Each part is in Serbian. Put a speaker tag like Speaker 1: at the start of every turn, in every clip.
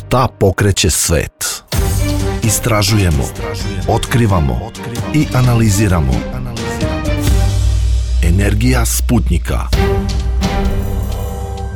Speaker 1: Šta pokreće svet? Istražujemo, otkrivamo i analiziramo. Energija Sputnjika.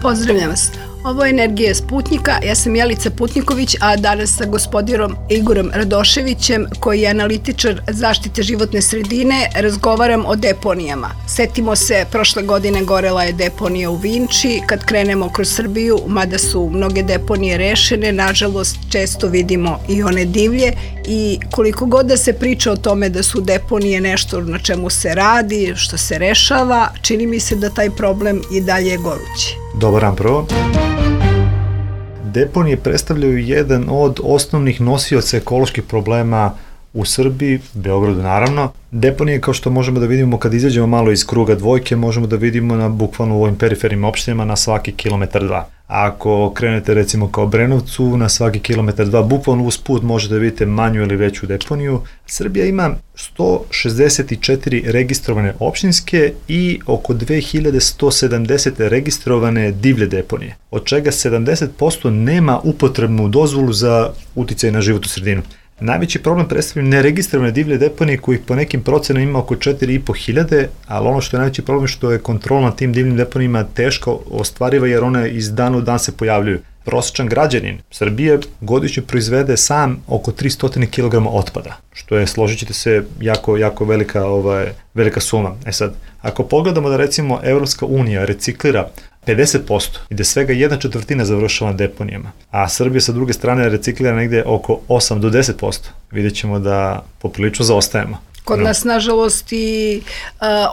Speaker 2: Pozdravljam vas. Ovo je Energija Sputnjika, ja sam Jelica Putniković, a danas sa gospodinom Igorom Radoševićem, koji je analitičar zaštite životne sredine, razgovaram o deponijama. Setimo se, prošle godine gorela je deponija u Vinči, kad krenemo kroz Srbiju, mada su mnoge deponije rešene, nažalost često vidimo i one divlje i koliko god da se priča o tome da su deponije nešto na čemu se radi, što se rešava, čini mi se da taj problem i dalje je gorući.
Speaker 3: Dobar dan prvo. Deponije predstavljaju jedan od osnovnih nosioca ekoloških problema u Srbiji, Beogradu naravno. Deponije, kao što možemo da vidimo kad izađemo malo iz kruga dvojke, možemo da vidimo na bukvalno u ovim perifernim opštinama na svaki kilometar dva. Ako krenete recimo kao Brenovcu, na svaki kilometar dva, bukvalno uz put možete da vidite manju ili veću deponiju. Srbija ima 164 registrovane opštinske i oko 2170 registrovane divlje deponije, od čega 70% nema upotrebnu dozvolu za uticaj na životnu sredinu. Najveći problem predstavljaju neregistrovane divlje deponije kojih po nekim procenama ima oko 4.500, ali ono što je najveći problem što je kontrola nad tim divljim deponijima teško ostvariva jer one iz dana u dan se pojavljuju. Prosječan građanin Srbije godišnje proizvede sam oko 300 kg otpada, što je, složit ćete se, jako velika suma. Sad, ako pogledamo da recimo Evropska unija reciklira 50% i da svega 1/4 završava na deponijama, a Srbija sa druge strane reciklira negde oko 8 do 10%, vidjet ćemo da poprilično zaostajemo.
Speaker 2: Kod nas, nažalost, i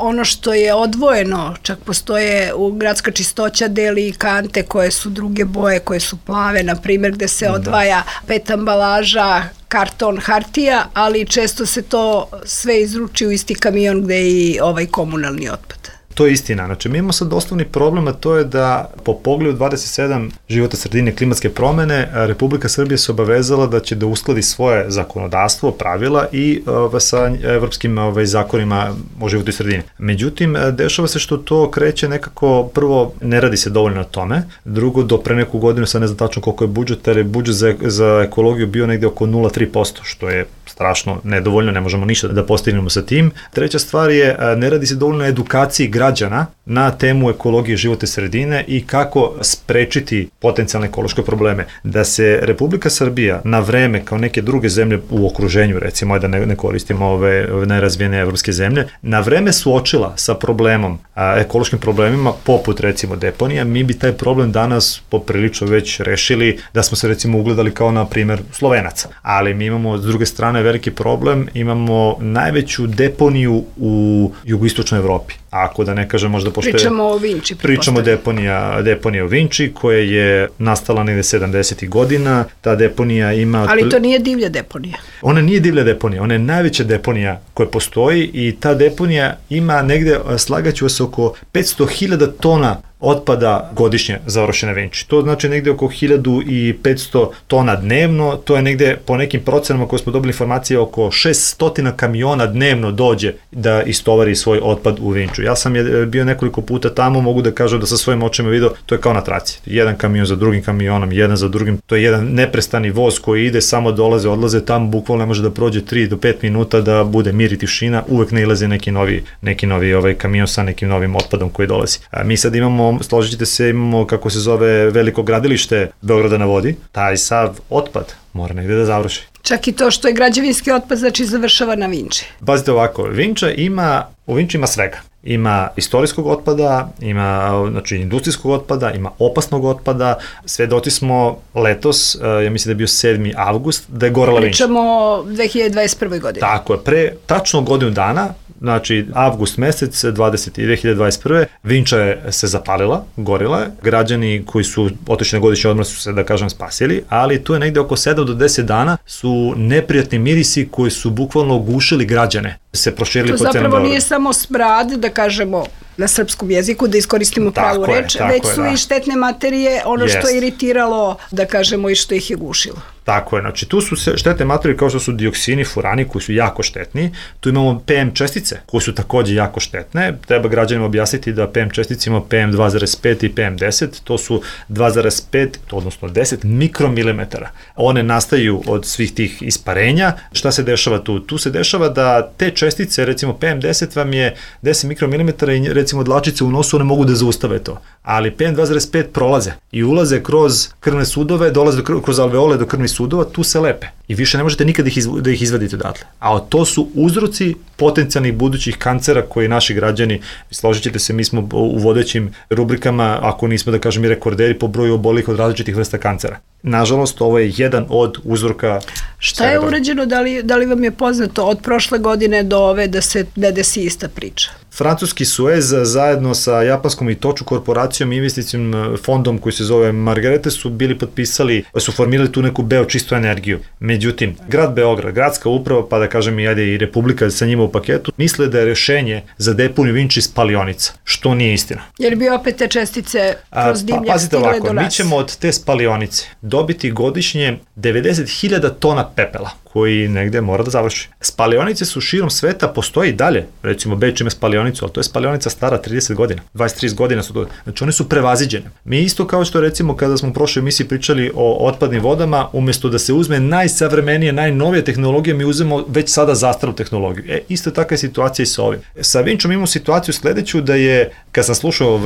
Speaker 2: ono što je odvojeno, čak postoje u gradska čistoća deli i kante koje su druge boje, koje su plave, na primjer, gde se odvaja PET ambalaža, karton, hartija, ali često se to sve izruči u isti kamion gde je i ovaj komunalni otpad.
Speaker 3: To je istina. Znači, mi imamo sad osnovni problem, a to je da po pogledu 27 života sredine klimatske promene, Republika Srbija se obavezala da će da uskladi svoje zakonodavstvo, pravila i sa evropskim zakonima o životnoj sredini. Međutim, dešava se što to kreće nekako, prvo, ne radi se dovoljno na tome, drugo, do pre neku godinu, sad ne znam tačno koliko je budžet, ali je budžet za ekologiju bio negde oko 0,3%, što je strašno nedovoljno, ne možemo ništa da postignemo sa tim. Treća stvar je, ne radi se dovoljno na edukaciji građana na temu ekologije životne sredine i kako sprečiti potencijalne ekološke probleme. Da se Republika Srbija na vreme, kao neke druge zemlje u okruženju, recimo da ne koristimo ove najrazvijene evropske zemlje, na vreme suočila sa problemom, ekološkim problemima, poput recimo deponija, mi bi taj problem danas poprilično već rešili, da smo se recimo ugledali kao na primer Slovenaca. Ali mi imamo s druge strane veliki problem, imamo najveću deponiju u jugoistočnoj Evropi. Ako da ne kažem možda pošto
Speaker 2: pričamo o Vinči.
Speaker 3: Pričamo deponija u Vinči koja je nastala negde 70. godina. Ta deponija ima...
Speaker 2: Ali to nije divlja deponija.
Speaker 3: Ona nije divlja deponija, ona je najveća deponija koja postoji i ta deponija ima negde, slagaću vas, oko 500.000 tona otpada godišnje završene Vinči. To znači negde oko 1500 tona dnevno, to je negde po nekim procenama koje smo dobili informacije oko 600 kamiona dnevno dođe da istovari svoj otpad u Vinču. Ja sam bio nekoliko puta tamo, mogu da kažem da sa svojim očima video, to je kao na traci. Jedan kamion za drugim kamionom, jedan za drugim, to je jedan neprestani voz koji ide, samo dolaze, odlaze, tamo bukvalno ne može da prođe 3 do 5 minuta da bude mir i tišina, uvek ne ilaze neki novi kamion sa nekim novim otpadom koji dolazi. Mi sad imamo, složit ćete se, imamo kako se zove veliko gradilište Beograda na vodi, taj sav otpad mora negde da završi.
Speaker 2: Čak i to što je građevinski otpad, znači završava na Vinči.
Speaker 3: Pazite ovako, u Vinči ima svega. Ima istorijskog otpada, ima industrijskog otpada, ima opasnog otpada. Svedoci smo letos, ja mislim da je bio 7. avgust, da je gorela Vinča.
Speaker 2: Pričamo o 2021. godini.
Speaker 3: Tako je, pre tačno godinu dana, znači avgust mesec 2021. Vinča je se zapalila, gorila je. Građani koji su otišli na godišnji odmor su se, da kažem, spasili, ali tu je negde oko 7 do 10 dana su neprijatni mirisi koji su bukvalno gušili građane. Se proširili po celom Beogradu. To zapravo
Speaker 2: nije samo smrad, da kažemo na srpskom jeziku, da iskoristimo pravu reč, već su i štetne materije, ono što je iritiralo, da kažemo, i što ih je gušilo.
Speaker 3: Tako je, znači tu su štetne materije kao što su dioksini, furani koji su jako štetni, tu imamo PM čestice koje su takođe jako štetne, treba građanima objasniti da PM čestice ima PM 2,5 i PM 10, to su 2,5, odnosno 10 mikromilimetara. One nastaju od svih tih isparenja. Šta se dešava tu? Tu se dešava da te čestice, recimo PM 10 vam je 10 mikromilimetara i recimo dlačice u nosu, one mogu da zaustave to, ali PM 2,5 prolaze i ulaze kroz krvne sudove, dolaze kroz alveole do krvnih sudova, tu se lepe i više ne možete nikad da ih izvadite odatle. A to su uzroci potencijalnih budućih kancera koji naši građani, složit ćete se, mi smo u vodećim rubrikama, ako nismo da kažem i rekorderi po broju obolih od različitih vrsta kancera. Nažalost, ovo je jedan od uzroka.
Speaker 2: Šta je urađeno, da li vam je poznato od prošle godine do ove da se ne desi ista priča?
Speaker 3: Francuski Suez zajedno sa japanskom Itochu korporacijom i investicijom fondom koji se zove Margarete su su formirali tu neku čistu energiju. Međutim, grad Beograd, gradska uprava, pa da kažem i Republika sa njima u paketu, misle da je rešenje za deponiju Vinči spalionica, što nije istina.
Speaker 2: Jer bi opet te čestice kroz dimljak stigle do nas.
Speaker 3: Mi ćemo od te spalionice dobiti godišnje 90.000 tona pepela koji negde mora da završi. Spalionice su širom sveta, postoji i dalje. Recimo, Beč ima spalionicu, ali to je spalionica stara 30 godina. 23 godina su to. Znači, one su prevaziđene. Mi isto kao što recimo kada smo u prošloj emisiji pričali o otpadnim vodama, umesto da se uzme najsavremenije, najnovije tehnologije, mi uzmemo već sada zastaru tehnologiju. Isto takva je situacija i sa ovim. Sa Vinčom imamo situaciju sledeću da je, kad sam slušao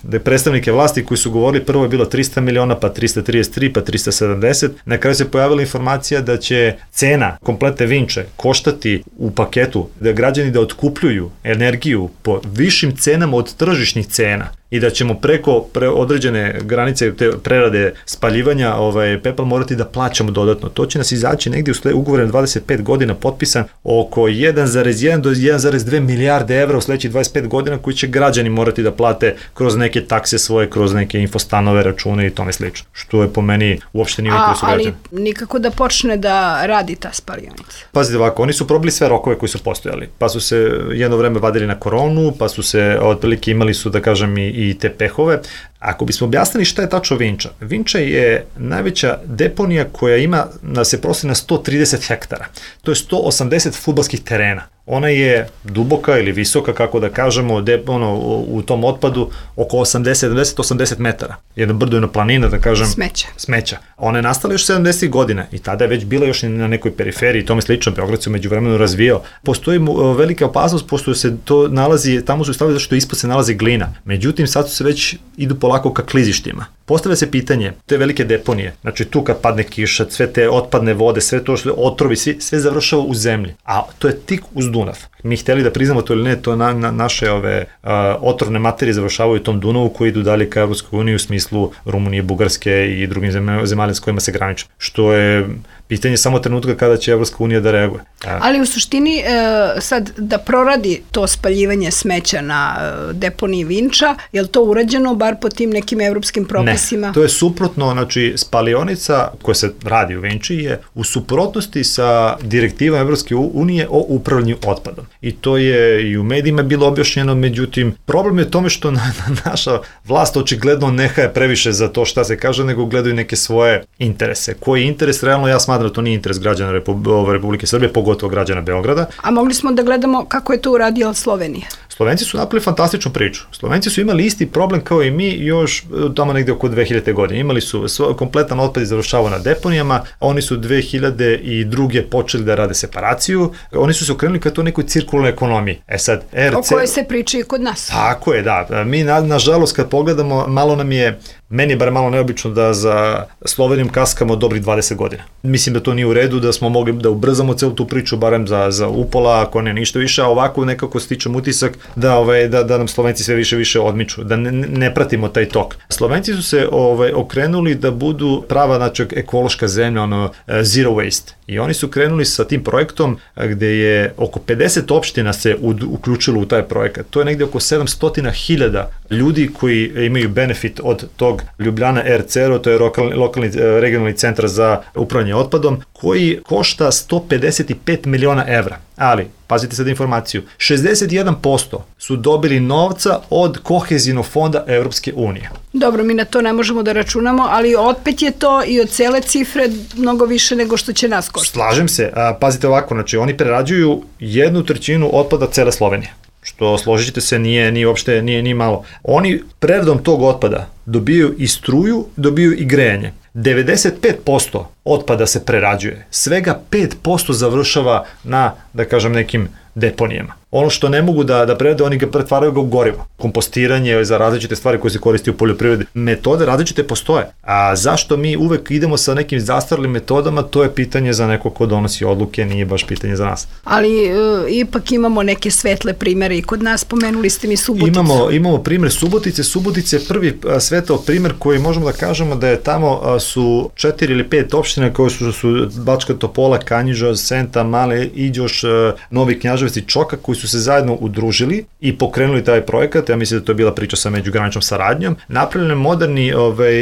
Speaker 3: da je predstavnike vlasti koji su govorili, prvo je bilo 300 miliona, pa 333, pa 370, na kraju se pojavila informacija da će cena kompletne Vinče koštati u paketu da građani da otkupljuju energiju po višim cenama od tržišnih cena i da ćemo preko određene granice te prerade spaljivanja pepel morati da plaćamo dodatno. To će nas izaći negdje u ugovore na 25 godina potpisan oko 1,1 do 1,2 milijarde evra u sledećih 25 godina koji će građani morati da plate kroz neke takse svoje, kroz neke infostanove, račune i tome slično. Što je po meni uopšte nije interesu građana.
Speaker 2: Ali nikako da počne da radi ta spalionica.
Speaker 3: Pazite ovako, oni su probili sve rokove koji su postojali. Pa su se jedno vreme vadili na koronu, pa su se otprilike imali su da kažem i te pehove. Ako bismo objasnili šta je tačno Vinča, Vinča je najveća deponija koja ima da se prosi na 130 hektara. To je 180 fudbalskih terena. Ona je duboka ili visoka, kako da kažemo, u tom otpadu oko 80 metara. Jedno brdo je na planina, da kažem. Smeća. Ona je nastala još 70 godina i tada je već bila još na nekoj periferiji i tome slično. Beograd se umeđu vremenu razvijao. Postoji velika opasnost, pošto se to nalazi, tamo su stavili zašto ispod se nalazi glina. Međutim, sad su se već idu polako ka klizištima. Postavlja se pitanje, te velike deponije, znači tu kad padne kiša, sve te otpadne vode, sve to što otrovi, sve završava u zemlji, a to je tik uz Dunav. Mi hteli da priznamo to ili ne, to naše otrovne materije završavaju u tom Dunavu koji idu dalje ka Evropskoj uniji u smislu Rumunije, Bugarske i drugim zemalja s kojima se graniče, što je pitanje samo trenutka kada će Evropska unija da reaguje.
Speaker 2: Ali u suštini sad da proradi to spaljivanje smeća na deponiji Vinča, je li to urađeno bar po tim nekim evropskim propisima?
Speaker 3: Ne, to je suprotno, znači spalionica koja se radi u Vinči je u suprotnosti sa direktivom Evropske unije o upravljanju otpadom. I to je i u medijima bilo objašnjeno, međutim, problem je u tome što naša vlast očigledno nehaje previše za to šta se kaže, nego gledaju neke svoje interese. Koji interes, realno ja smatram da to nije interes građana Republike Srbije, pogotovo građana Beograda.
Speaker 2: A mogli smo da gledamo kako je to uradila Slovenija?
Speaker 3: Slovenci su napravili fantastičnu priču. Slovenci su imali isti problem kao i mi još tamo negde oko 2000. godine. Imali su kompletan otpad završavao na deponijama, oni su 2002. počeli da rade separaciju, oni su se okrenuli ka to nekoj cirkularnoj ekonomiji. Sad,
Speaker 2: o kojoj se priča i kod nas.
Speaker 3: Tako je, da. Mi, nažalost, kad pogledamo, meni je bar malo neobično da za Slovenijom kaskamo dobrih 20 godina. Mislim da to nije u redu, da smo mogli da ubrzamo celu tu priču, barem za upola, ako ne ništa više, a ovako nekako stičem utisak da nam Slovenci sve više odmiču, da ne pratimo taj tok. Slovenci su se okrenuli da budu prava, znači, ekološka zemlja, zero waste. I oni su krenuli sa tim projektom gde je oko 50 opština se uključilo u taj projekat. To je negde oko 700.000 ljudi koji imaju benefit od tog Ljubljana RCR, to je lokalni regionalni centar za upravljanje otpadom, koji košta 155 miliona evra. Ali, pazite sad informaciju, 61% su dobili novca od kohezijnog fonda Evropske unije.
Speaker 2: Dobro, mi na to ne možemo da računamo, ali opet je to i od cele cifre mnogo više nego što će nas koštati.
Speaker 3: Slažem se, pazite ovako, znači oni prerađuju 1/3 otpada cele Slovenije, što složit ćete se nije uopšte nije malo. Oni preradom tog otpada dobiju i struju, dobiju i grejanje. 95% otpada se prerađuje, svega 5% završava na, da kažem, nekim deponijama. Ono što ne mogu da prerade, oni ga pretvaraju u gorivo. Kompostiranje za različite stvari koje se koristi u poljoprivredi. Metode različite postoje. A zašto mi uvek idemo sa nekim zastarlim metodama, to je pitanje za neko ko donosi odluke, nije baš pitanje za nas.
Speaker 2: Ali ipak imamo neke svetle primere i kod nas, spomenuli ste mi Suboticu.
Speaker 3: Imamo primer Subotice. Subotice je prvi svetao primer koji možemo da kažemo da je tamo su 4 ili 5 opština koje su Bačka Topola, Kanjiža, Senta, Male, Iđoš, Novi Knjaževac i Čoka, koji su se zajedno udružili i pokrenuli taj projekat. Ja mislim da to je bila priča sa međugraničnom saradnjom. Napravljen moderni,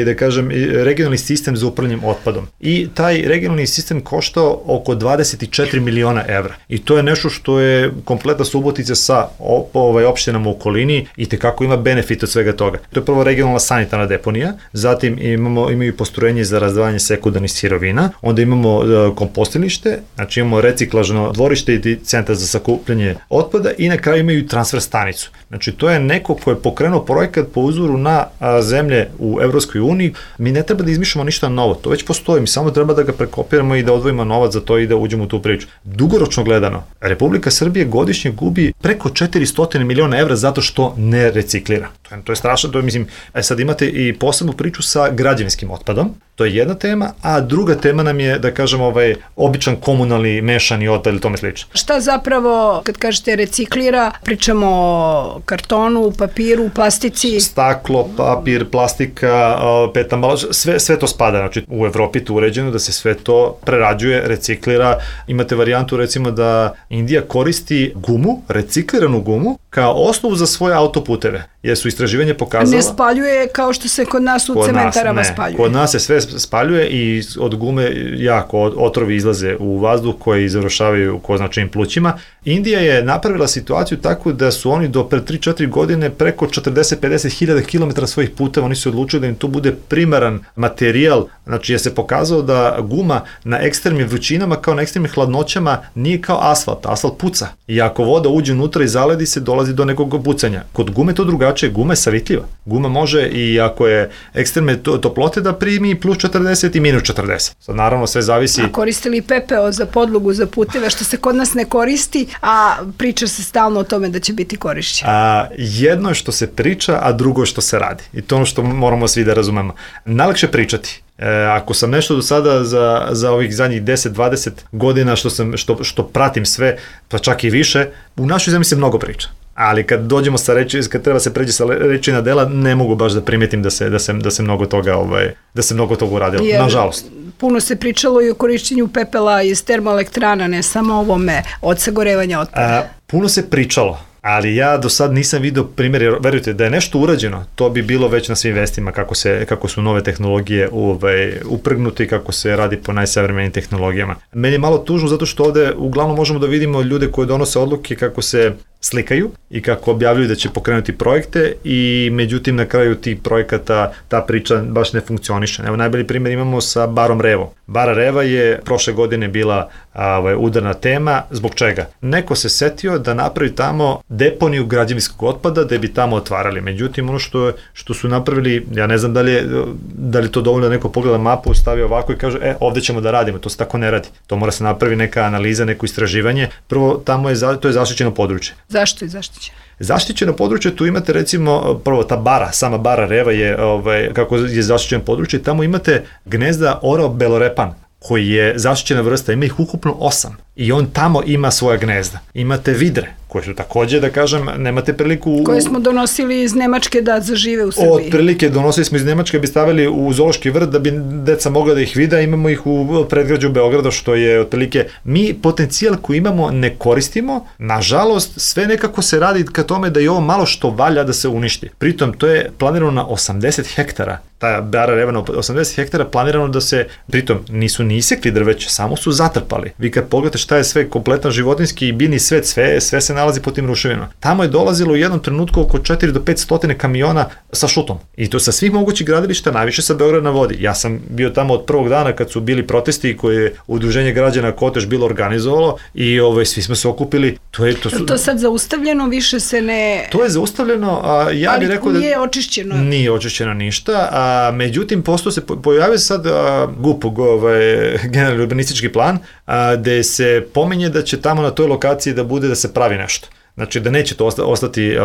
Speaker 3: da kažem, regionalni sistem za upravljanje otpadom. I taj regionalni sistem koštao oko 24 miliona evra. I to je nešto što je kompletna Subotica sa opštinama u okolini i tekako ima benefit od svega toga. To je prvo regionalna sanitarna deponija, zatim imaju postrojenje za razdvajanje sekundarnih sirovina, onda imamo kompostilnište, znači imamo reciklažno dvorište i centar za sakupljanje otpada i na kraju imaju transfer stanicu. Znači to je neko ko je pokrenuo projekat po uzoru na zemlje u Evropskoj uniji. Mi ne treba da izmišljamo ništa novo, to već postoji, mi samo treba da ga prekopiramo i da odvojimo novac za to i da uđemo u tu priču. Dugoročno gledano, Republika Srbije godišnje gubi preko 400 miliona evra zato što ne reciklira. To je strašno, to je, mislim, sad imate i posebnu priču sa građevinskim otpadom, to je jedna tema, a druga tema nam je, da kažem, običan komunalni mešani otpad ili tome slično.
Speaker 2: Šta zapravo, kad kažete reciklira, pričamo o kartonu, papiru, plastici?
Speaker 3: Staklo, papir, plastika, PET ambalaža, sve to spada. Znači, u Evropi to uređeno da se sve to prerađuje, reciklira. Imate varijantu, recimo, da Indija koristi gumu, recikliranu gumu, kao osnovu za svoje autoputeve, jer su istraživanje pokazala...
Speaker 2: Ne spaljuje kao što se kod nas u cementarama spaljuje.
Speaker 3: Kod nas se sve spaljuje i od gume jako otrovi izlaze u vazduh koji završavaju ko značajnim plućima. Indija je napravila situaciju tako da su oni do pre 3-4 godine preko 40-50 hiljada kilometara svojih puteva, oni su odlučili da im to bude primaran materijal, znači je se pokazao da guma na ekstremnim vrućinama kao na ekstremnim hladnoćama nije kao asfalt, asfalt puca. I ako voda uđe unutra i zaledi se, dolazi do nekog pucanja. Kod gume to drugačije, guma je savitljiva. Guma može i ako je ekstremne toplote da primi plus 40 i minus 40. Sad naravno sve zavisi...
Speaker 2: A koristili pepeo za podlogu za puteve, što se kod nas ne koristi, a priča se stalno o tome da će biti korišćeno.
Speaker 3: Jedno je što se priča, a drugo je što se radi. I to ono što moramo svi da razumemo. Najlakše pričati. Ako sam nešto do sada za ovih zadnjih 10-20 godina što pratim sve, pa čak i više, u našoj zemlji se mnogo priča. Ali kad dođemo sa reči, kad treba se pređe sa reči na dela, ne mogu baš da primetim da se mnogo toga uradilo, nažalost.
Speaker 2: Puno se pričalo i o korišćenju pepela iz termoelektrana, ne samo o ovome od sagorevanja otpada.
Speaker 3: Puno se pričalo, ali ja do sad nisam vidio primjer, jer verujte, da je nešto urađeno, to bi bilo već na svim vestima kako su nove tehnologije uprgnute i kako se radi po najsavremenijim tehnologijama. Meni je malo tužno zato što ovde uglavnom možemo da vidimo ljude koji donose odluke kako se slikaju i kako objavljuju da će pokrenuti projekte i međutim na kraju tih projekata ta priča baš ne funkcioniše. Evo najbolji primjer imamo sa Barom Revo. Bara Reva je prošle godine bila udarna tema. Zbog čega? Neko se setio da napravi tamo deponiju građevinskog otpada da bi tamo otvarali. Međutim, ono što su napravili, ja ne znam da li to dovoljno da neko pogleda mapu, stavi ovako i kaže, ovde ćemo da radimo, to se tako ne radi. To mora se napravi neka analiza, neko istraživanje. Prvo, to je zaštićeno područje.
Speaker 2: Zašto je zaštićeno?
Speaker 3: Zaštićeno područje, tu imate recimo, prvo ta bara, sama Bara Reva je, kako je zaštićeno područje, tamo imate gnezda orao belorepan, koji je zaštićena vrsta, ima ih ukupno 8 i on tamo ima svoja gnezda. Imate vidre, koje su takođe, da kažem, nemate priliku...
Speaker 2: Koje smo donosili iz Nemačke da zažive u Srbiji.
Speaker 3: Otprilike donosili smo iz Nemačke, bi stavili u zoološki vrt da bi deca mogla da ih vide, imamo ih u predgrađu Beograda, što je otprilike... Mi potencijal koji imamo ne koristimo, nažalost, sve nekako se radi ka tome da je ovo malo što valja da se uništi. Pritom, to je planirano na 80 hektara. Ta bara revana 80 hektara planirano da se, pritom nisu ni isekli drveće, samo su zatrpali. Vi kad pogledate šta je sve kompletan životinjski i biljni svet, sve se nalazi po tim ruševinama. Tamo je dolazilo u jednom trenutku oko 4 do 500 kamiona sa šutom. I to sa svih mogućih gradilišta, najviše sa Beograda na vodi. Ja sam bio tamo od prvog dana kad su bili protesti koje je Udruženje građana Kotež bilo organizovalo i svi smo se okupili.
Speaker 2: To sad zaustavljeno, više se ne...
Speaker 3: To je zaustavljeno, ja bih rekao da...
Speaker 2: Ali nije očišćeno.
Speaker 3: Nije očišćeno ništa, međutim, posto se pojavio sad GUP, generalni urbanistički plan, gde se pominje da će tamo na toj lokaciji da bude da se pravi nešto. Znači da neće to ostati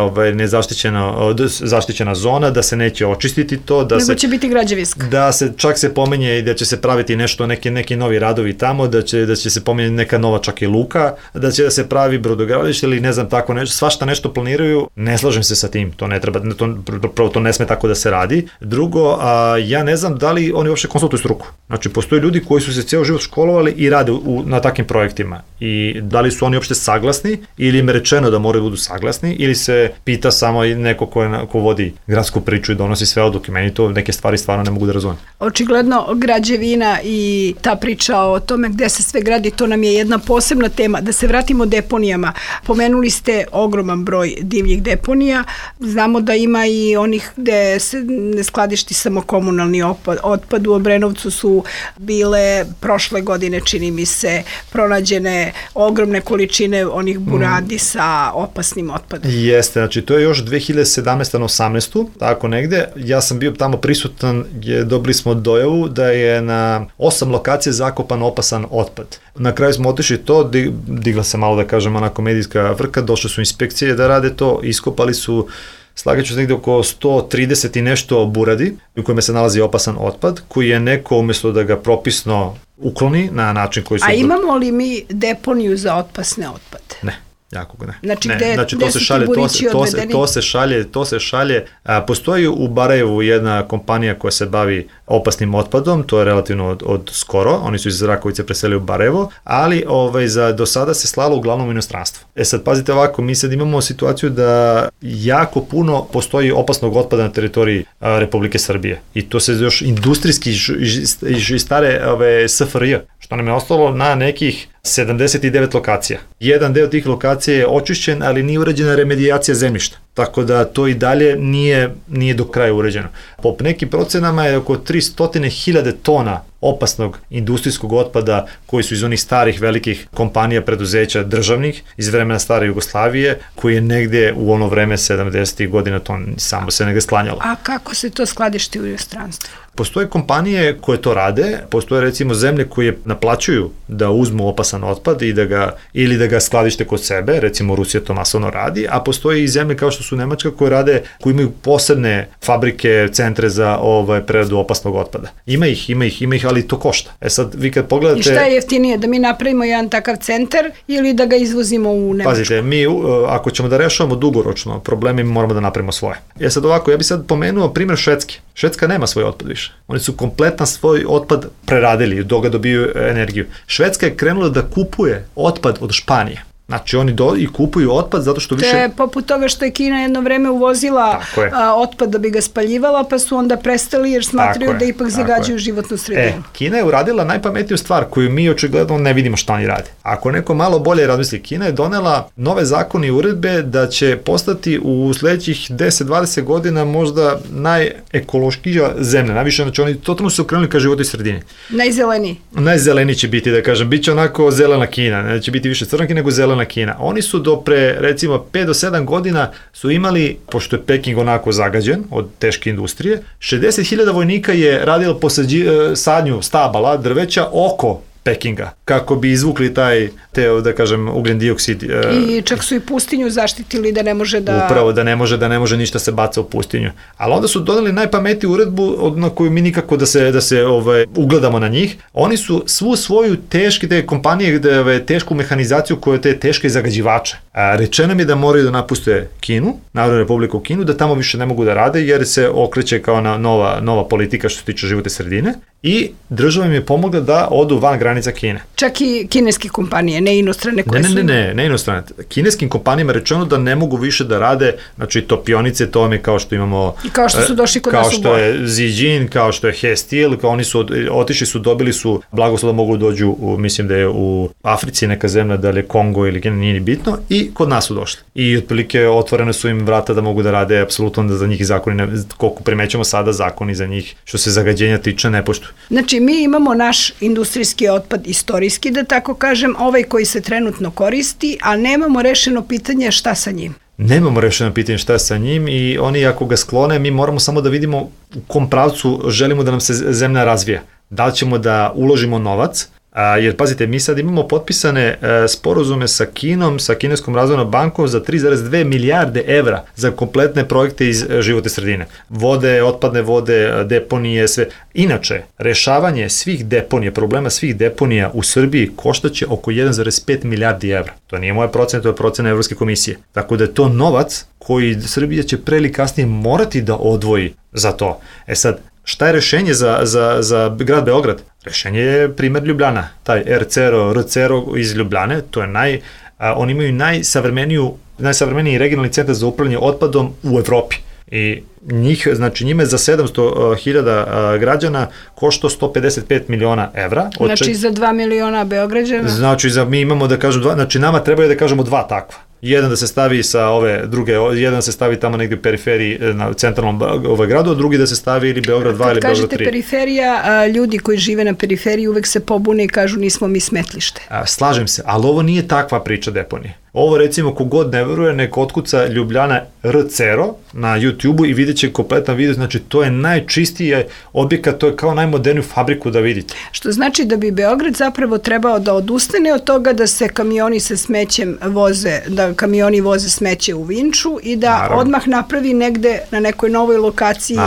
Speaker 3: zaštićena zona, da se neće očistiti to,
Speaker 2: nego će biti građevinska.
Speaker 3: Da se čak se pominje i da će se praviti nešto, neki novi radovi tamo, da će se pominje neka nova čak i luka, da će da se pravi brodogradilište ili ne znam tako nešto, svašta nešto planiraju. Ne slažem se sa tim, to ne treba, prvo to ne sme tako da se radi. Drugo, ja ne znam da li oni uopšte konsultuju struku. Znači postoje ljudi koji su se ceo život školovali i rade na takvim projektima i da li su oni uopšte saglasni ili im je rečeno da moraju budu saglasni ili se pita samo neko ko vodi gradsku priču i donosi sve odluke. Meni to neke stvari stvarno ne mogu da razumem.
Speaker 2: Očigledno građevina i ta priča o tome gde se sve gradi, to nam je jedna posebna tema. Da se vratimo deponijama. Pomenuli ste ogroman broj divljih deponija. Znamo da ima i onih gde se ne skladišti samo komunalni otpad. U Obrenovcu su bile prošle godine, čini mi se, pronađene ogromne količine onih buradi sa opasnim otpadom.
Speaker 3: Jeste, znači to je još 2017. na 18. tako negde. Ja sam bio tamo prisutan, dobili smo dojavu da je na 8 lokacija zakopan opasan otpad. Na kraju smo otišli to, digla se malo da kažem onako medijska vrka, došle su inspekcije da rade to, iskopali su slagaću se negde oko 130 i nešto buradi u kojima se nalazi opasan otpad, koji je neko umjesto da ga propisno ukloni na način koji su...
Speaker 2: A imamo li mi deponiju za opasne otpade?
Speaker 3: Ne. Jako ga ne.
Speaker 2: Znači, gde su ti burići odvedeni?
Speaker 3: To se šalje. Postoji u Barajevu jedna kompanija koja se bavi opasnim otpadom, to je relativno od skoro, oni su iz Rakovice preselili u Barajevo, ali do sada se slalo uglavnom u inostranstvo. Sad pazite ovako, mi sad imamo situaciju da jako puno postoji opasnog otpada na teritoriji Republike Srbije i to se još industrijski iz stare SFRJ, što nam je ostalo na nekih 79 lokacija. Jedan deo tih lokacija je očišćen, ali nije urađena remedijacija zemljišta. Tako da to i dalje nije do kraja uređeno. Po nekim procenama je oko 300.000 tona opasnog industrijskog otpada koji su iz onih starih velikih kompanija, preduzeća državnih iz vremena stare Jugoslavije, koji je negde u ono vreme 70. godina to samo se negde sklanjalo.
Speaker 2: A kako se to skladišti u inostranstvu?
Speaker 3: Postoje kompanije koje to rade, postoje recimo zemlje koje naplaćuju da uzmu opasan otpad ili da ga skladište kod sebe, recimo Rusija to masovno radi, a postoje i zemlje kao što su Nemačka koje imaju posebne fabrike, centre za preradu opasnog otpada. Ima ih, ali to košta. Sad vi kad pogledate...
Speaker 2: I šta je jeftinije, da mi napravimo jedan takav centar ili da ga izvozimo u Nemačku?
Speaker 3: Pazite, mi ako ćemo da rešavamo dugoročno probleme, mi moramo da napravimo svoje. Sad ovako, ja bih sad pomenuo primjer Švedske. Švedska nema svoj otpad više. Oni su kompletan svoj otpad preradili, do ga dobiju energiju. Švedska je krenula da kupuje otpad od Španije. Znači oni i kupuju otpad zato što više...
Speaker 2: To je poput toga što je Kina jedno vreme uvozila otpad da bi ga spaljivala, pa su onda prestali jer smatraju da ipak zagađuju životnu sredinu.
Speaker 3: Kina je uradila najpametniju stvar koju mi očigledno ne vidimo šta oni rade. Ako neko malo bolje razmisli, Kina je donela nove zakone i uredbe da će postati u sledećih 10-20 godina možda najekološkija zemlja. Najviše, znači oni totalno su okrenuli ka životnoj sredini.
Speaker 2: Najzeleniji.
Speaker 3: Najzeleniji će biti, da kažem. Biće onako zelena Kina. Neće biti više crnki nego zelena Kina. Oni su do pre, recimo, 5 do 7 godina su imali, pošto je Peking onako zagađen od teške industrije, 60.000 vojnika je radilo sadnju stabala, drveća oko Pekinga, kako bi izvukli da kažem, ugljen dioksid.
Speaker 2: I čak su i pustinju zaštitili da ne može da...
Speaker 3: Upravo, da ne može ništa se baca u pustinju. Ali onda su doneli najpametniju uredbu na koju mi nikako da se ugledamo na njih. Oni su svu svoju te kompanije, tešku mehanizaciju koje te teške zagađivače, Rečeno mi je da moraju da napuste Kinu, Narodnu republiku Kinu, da tamo više ne mogu da rade jer se okreće kao nova politika što se tiče životne sredine i država im je pomogla da odu van granica Kine.
Speaker 2: Čak i kineske kompanije, ne inostrane koje su...
Speaker 3: Ne inostrane. Kineskim kompanijama je rečeno da ne mogu više da rade, znači topionice, to mi kao što imamo...
Speaker 2: Kao što su došli kod nas u
Speaker 3: Kao što je Zijin, kao što je Hestil, kao oni su otišli su, dobili su blagoslov da mogu dođu, mislim da je u Africi neka zemlja, da li je Kongo ili Kina, nije ni bitno, i kod nas su došli. I otprilike otvorene su im vrata da mogu da rade, apsolutno da za njih zakoni, koliko primećamo sada, zakoni za njih što se zagađenja tiče ne poštuju.
Speaker 2: Znači, mi imamo naš industrijski otpad istorijski, da tako kažem, ovaj koji se trenutno koristi, a nemamo rešeno pitanje šta sa njim.
Speaker 3: Nemamo rešeno pitanje šta je sa njim i oni ako ga sklone, mi moramo samo da vidimo u kom pravcu želimo da nam se zemlja razvija. Da li ćemo da uložimo novac, jer pazite, mi sad imamo potpisane sporazume sa Kinom, sa Kineskom razvojnom bankom za 3,2 milijarde evra za kompletne projekte iz životne sredine. Vode, otpadne vode, deponije, sve. Inače, rešavanje svih deponija, problema svih deponija u Srbiji koštaće oko 1,5 milijardi evra. To nije moja procena, to je procena Evropske komisije. Tako da je to novac koji Srbija će pre ili kasnije morati da odvoji za to. Sad, šta je rešenje za grad Beograd? Rešenje je primer Ljubljana, taj RCERO iz Ljubljane, to je oni imaju najsavremeniji regionalni centar za upravljanje otpadom u Evropi. I njima je za 700.000 građana košto 155 miliona evra.
Speaker 2: Znači za 2 miliona Beograđana?
Speaker 3: Znači mi imamo da kažem znači nama trebaju da kažemo dva takva. Jedan da se stavi sa ove druge, jedan da se stavi tamo negde u periferiji na centralnom gradu, a drugi da se stavi ili Beograd 2 ili Beograd 3.
Speaker 2: Kad kažete periferija, ljudi koji žive na periferiji uvek se pobune i kažu nismo mi smetlište.
Speaker 3: Slažem se, ali ovo nije takva priča deponije. Ovo recimo kogod ne veruje, nek otkuca Ljubljana RCERO na YouTube-u i vidjet će kompletan video, znači to je najčistiji objekat, to je kao najmoderniju fabriku da vidite.
Speaker 2: Što znači da bi Beograd zapravo trebao da odustane od toga da se kamioni sa smećem voze, da kamioni voze smeće u Vinču i da odmah napravi negde na nekoj novoj lokaciji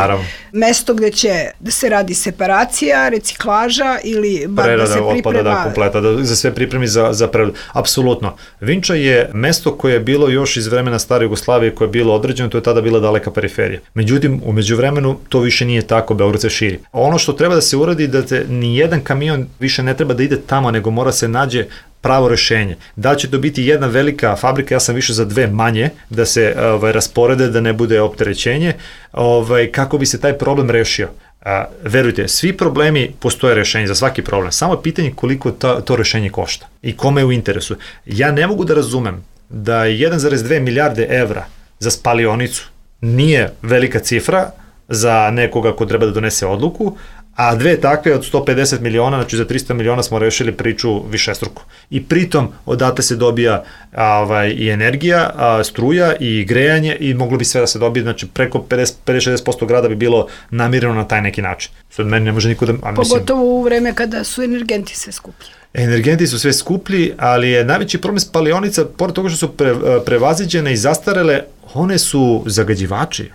Speaker 2: mesto gde će da se radi separacija, reciklaža ili bar da se priprema...
Speaker 3: Prerada otpada, kompleta, da za sve pripremi za preradu. Apsolutno. Vinča je mesto koje je bilo još iz vremena stare Jugoslavije, koje je bilo određeno, to je tada bila daleka periferija. Međutim, u međuvremenu to više nije tako, Beograd se širi. Ono što treba da se uradi da ni jedan kamion više ne treba da ide tamo, nego mora se nađe pravo rešenje. Da će to biti jedna velika fabrika, ja sam više za dve manje, da se rasporede, da ne bude opterećenje, kako bi se taj problem rešio. Verujte, svi problemi postoje rešenje za svaki problem, samo je pitanje koliko to rešenje košta i kome je u interesu. Ja ne mogu da razumem da 1,2 milijarde evra za spalionicu nije velika cifra za nekoga ko treba da donese odluku, a dve takve od 150 miliona, znači za 300 miliona smo rešili priču višestruko. I pritom odatle se dobija i energija, struja i grejanje i moglo bi sve da se dobije, znači preko 50-60% grada bi bilo namireno na taj neki način. Sad meni ne može niko da...
Speaker 2: Pogotovo u vreme kada su energenti sve skuplji.
Speaker 3: Energenti su sve skuplji, ali je najveći problem spalionica, pored toga što su prevaziđene i zastarele, one su zagađivači.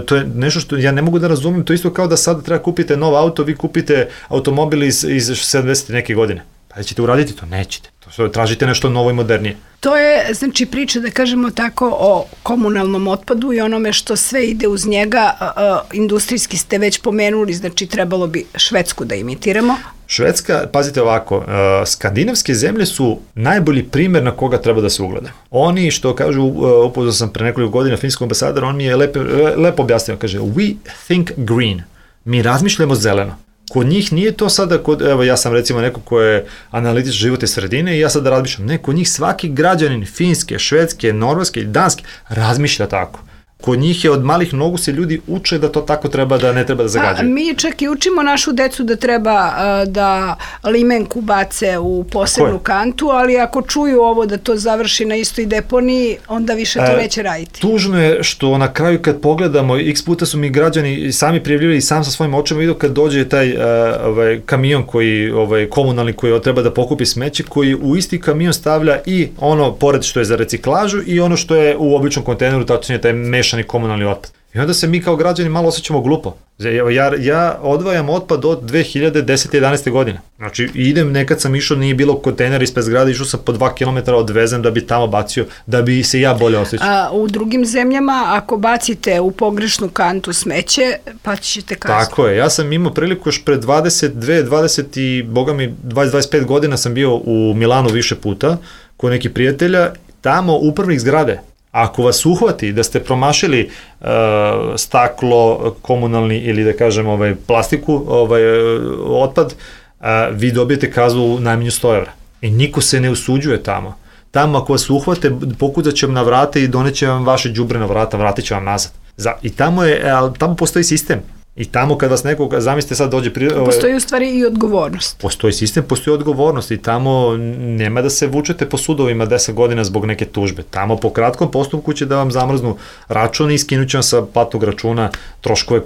Speaker 3: To je nešto što ja ne mogu da razumem, to isto kao da sada treba kupite nov auto, vi kupite automobil iz 70. neke godine. Pa da ćete uraditi to? Nećete. Tražite nešto novo i modernije.
Speaker 2: To je, znači, priča, da kažemo tako, o komunalnom otpadu i onome što sve ide uz njega. Industrijski ste već pomenuli, znači trebalo bi Švedsku da imitiramo.
Speaker 3: Švedska, pazite ovako, skandinavske zemlje su najbolji primer na koga treba da se ugleda. Oni, što kažu, upoznao sam pre nekoliko godina finskog ambasadora, on mi je lepo objasnio, kaže, we think green, mi razmišljamo zeleno. Kod njih nije to sada, evo ja sam recimo neko ko je analitičar životne sredine i ja sada razmišljam, ne, kod njih svaki građanin Finske, Švedske, Norveške i Danske razmišlja tako. Kod njih je od malih nogu se ljudi uče da to tako treba, da ne treba da zagađaju.
Speaker 2: Mi čak i učimo našu decu da treba da limenku bace u posebnu kantu, ali ako čuju ovo da to završi na istoj deponiji, onda više to neće raditi.
Speaker 3: Tužno je što na kraju kad pogledamo, x puta su mi građani sami prijavljivali i sam sa svojim očima vidio kad dođe taj kamion koji, komunalni koji treba da pokupi smeće, koji u isti kamion stavlja i ono pored što je za reciklažu i ono što je u običnom kontejneru, tačnije taj mešani komunalni otpad. I onda se mi kao građani malo osjećamo glupo. Ja odvajam otpad od 2010-11. godine. Znači, idem, nekad sam išao, nije bilo kontejner ispred zgrade, išao sam po 2 km odvezem da bi tamo bacio, da bi se ja bolje osjećao.
Speaker 2: A u drugim zemljama, ako bacite u pogrešnu kantu smeće, pa ćete kaznu.
Speaker 3: Tako je, ja sam imao priliku još pred 20 i, boga mi, 20-25 godina sam bio u Milanu više puta, kod nekih prijatelja, tamo upravnik zgrade. Ako vas uhvati da ste promašili staklo, komunalni ili da kažem plastiku, otpad, vi dobijete kaznu najmanje 100 evra. I niko se ne usuđuje tamo. Tamo ako vas uhvate, pokucat će vam na vrata i doneće vam vaše đubre na vrata, vratit će vam nazad. I tamo postoji sistem. I tamo kad vas neko, zamislite sad dođe...
Speaker 2: Postoji u stvari i odgovornost.
Speaker 3: Postoji sistem, postoji odgovornost i tamo nema da se vučete po sudovima 10 godina zbog neke tužbe. Tamo po kratkom postupku će da vam zamrznu račun i skinut će vam sa platnog računa troškove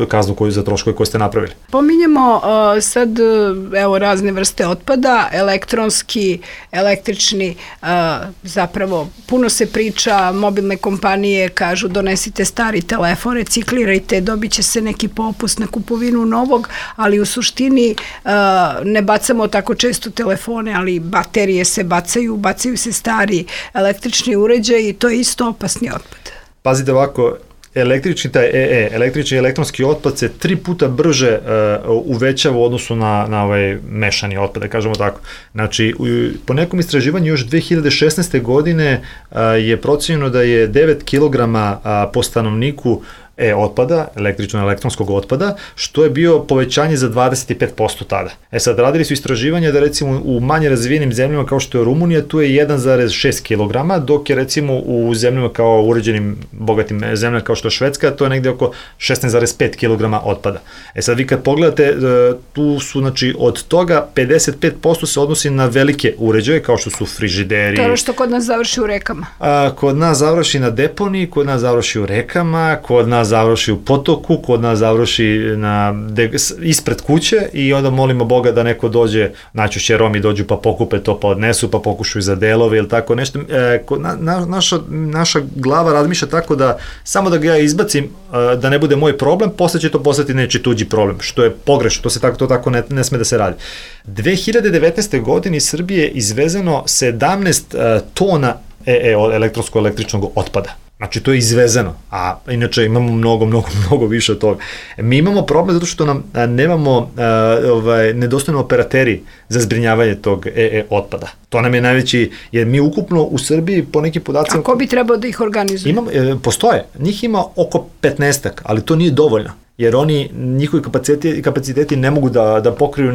Speaker 3: kaznu koju za troškove koje ste napravili.
Speaker 2: Pominjemo sad razne vrste otpada, elektronski, električni, zapravo puno se priča, mobilne kompanije kažu donesite stari telefon, reciklirajte, dobit će se neki popust na kupovinu novog, ali u suštini ne bacamo tako često telefone, ali baterije se bacaju se stari električni uređaj i to je isto opasni otpad.
Speaker 3: Pazite ovako, električni i elektronski otpad se 3 puta brže uvećava u odnosu na ovaj mešani otpad, da kažemo tako. Znači, po nekom istraživanju još 2016. godine je procenjeno da je 9 kg po stanovniku otpada, električno-elektronskog otpada, što je bio povećanje za 25% tada. Sad, radili su istraživanja da recimo u manje razvijenim zemljama kao što je Rumunija, tu je 1,6 kg, dok je recimo u zemljama kao uređenim, bogatim zemljama kao što je Švedska, to je negde oko 16,5 kg otpada. Sad, vi kad pogledate, tu su, znači, od toga 55% se odnosi na velike uređaje, kao što su frižideri.
Speaker 2: To je što kod nas završi u rekama.
Speaker 3: Kod nas završi na deponiji, kod nas završi u rekama, kod nas završi u potoku, kod nas završi ispred kuće i onda molimo Boga da neko dođe, najčešće Romi dođu pa pokupe to, pa odnesu, pa pokušaju za delove ili tako nešto. Naša glava razmišlja tako da samo da ga ja izbacim, da ne bude moj problem, posle će to postati neči tuđi problem, što je pogrešno, to tako ne sme da se radi. 2019. godine iz Srbije izvezeno 17 tona elektronsko-električnog otpada. Znači, to je izvezeno, a inače imamo mnogo više od toga. Mi imamo problem zato što nam nemamo, nedostojno operateri za zbrinjavanje tog otpada. To nam je najveći, jer mi ukupno u Srbiji po nekim podacima...
Speaker 2: A ko bi trebao da ih organizuje?
Speaker 3: Postoje, njih ima oko 15-ak, ali to nije dovoljno. Jer njihovi kapaciteti ne mogu da pokriju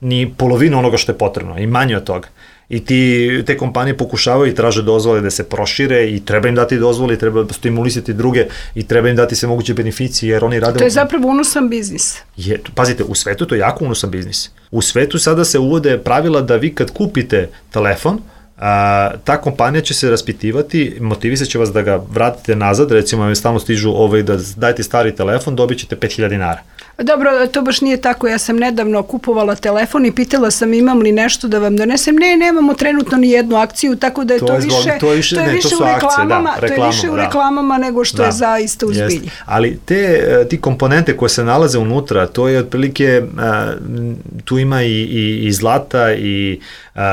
Speaker 3: ni polovinu onoga što je potrebno, i manje od toga. I te kompanije pokušavaju i traže dozvole da se prošire i treba im dati dozvole i treba stimulisati druge i treba im dati sve moguće beneficije jer oni rade...
Speaker 2: To je zapravo unosan biznis.
Speaker 3: Pazite, u svetu to je jako unosan biznis. U svetu sada se uvode pravila da vi kad kupite telefon, ta kompanija će se raspitivati, motivisat će vas da ga vratite nazad, recimo stalno stižu da dajte stari telefon, dobit ćete 5000 dinara.
Speaker 2: Dobro, to baš nije tako. Ja sam nedavno kupovala telefon i pitala sam imam li nešto da vam donesem. Nemamo trenutno ni jednu akciju, tako da je to više u reklamama nego što je zaista u zbilji.
Speaker 3: Ali ti komponente koje se nalaze unutra, to je otprilike, tu ima i zlata i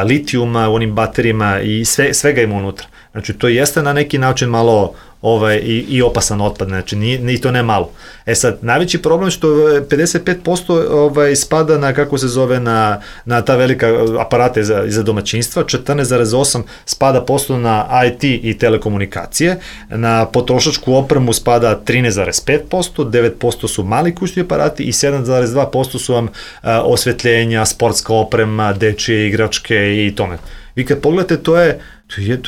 Speaker 3: litijuma u onim baterijima i svega ima unutra. Znači, to jeste na neki način malo i opasan otpad, znači ni to ne malo. Sad, najveći problem što 55% spada na, kako se zove, na ta velika aparate za domaćinstva, 14,8% spada posto na IT i telekomunikacije, na potrošačku opremu spada 13,5%, 9% su mali kućni aparati i 7,2% su vam osvetljenja, sportska oprema, dečije igračke i tome. Vi kad pogledate, to je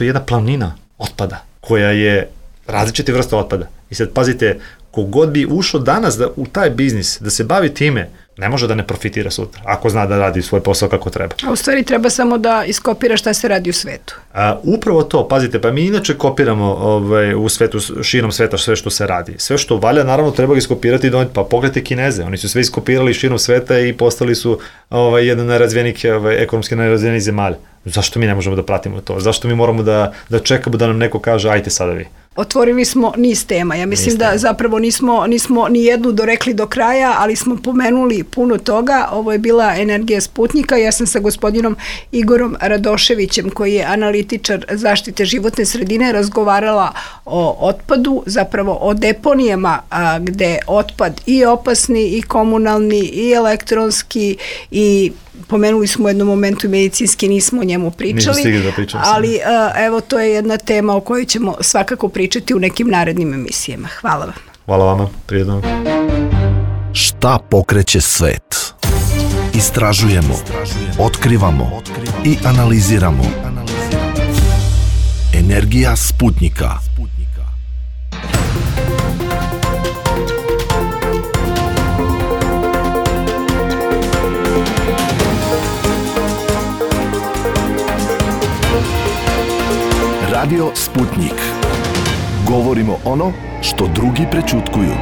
Speaker 3: jedna planina otpada koja je različite vrste otpada. I sad pazite, kogod bi ušao danas u taj biznis, da se bavi time, ne može da ne profitira sutra, ako zna da radi svoj posao kako treba.
Speaker 2: A u stvari treba samo da iskopira šta se radi u svetu.
Speaker 3: Upravo to, pazite, pa mi inače kopiramo u svetu, širom sveta sve što se radi. Sve što valja, naravno, treba ga iskopirati i doneti. Pa pogledajte Kineze, oni su sve iskopirali širom sveta i postali su jedan najrazvijenijih, ekonomski najrazvijenijih zemalja. Zašto mi ne možemo da pratimo to? Zašto mi moramo da čekamo da nam neko kaže, ajte sada vi?
Speaker 2: Otvorili smo niz tema. Ja mislim da zapravo nismo ni jednu dorekli do kraja, ali smo pomenuli puno toga. Ovo je bila energija Sputnika. Ja sam sa gospodinom Igorom Radoševićem, koji je analitičar zaštite životne sredine, razgovarala o otpadu, zapravo o deponijama gde otpad i opasni i komunalni i elektronski i pomenuli smo u jednom momentu medicinski, nismo o njemu pričali, ali evo to je jedna tema o kojoj ćemo svakako pričati u nekim narednim emisijama. Hvala vam.
Speaker 3: Hvala vama, prijedno.
Speaker 1: Šta pokreće svet? Istražujemo, otkrivamo i analiziramo. Energija Sputnika. Radio Sputnik. Govorimo ono što drugi prećutkuju.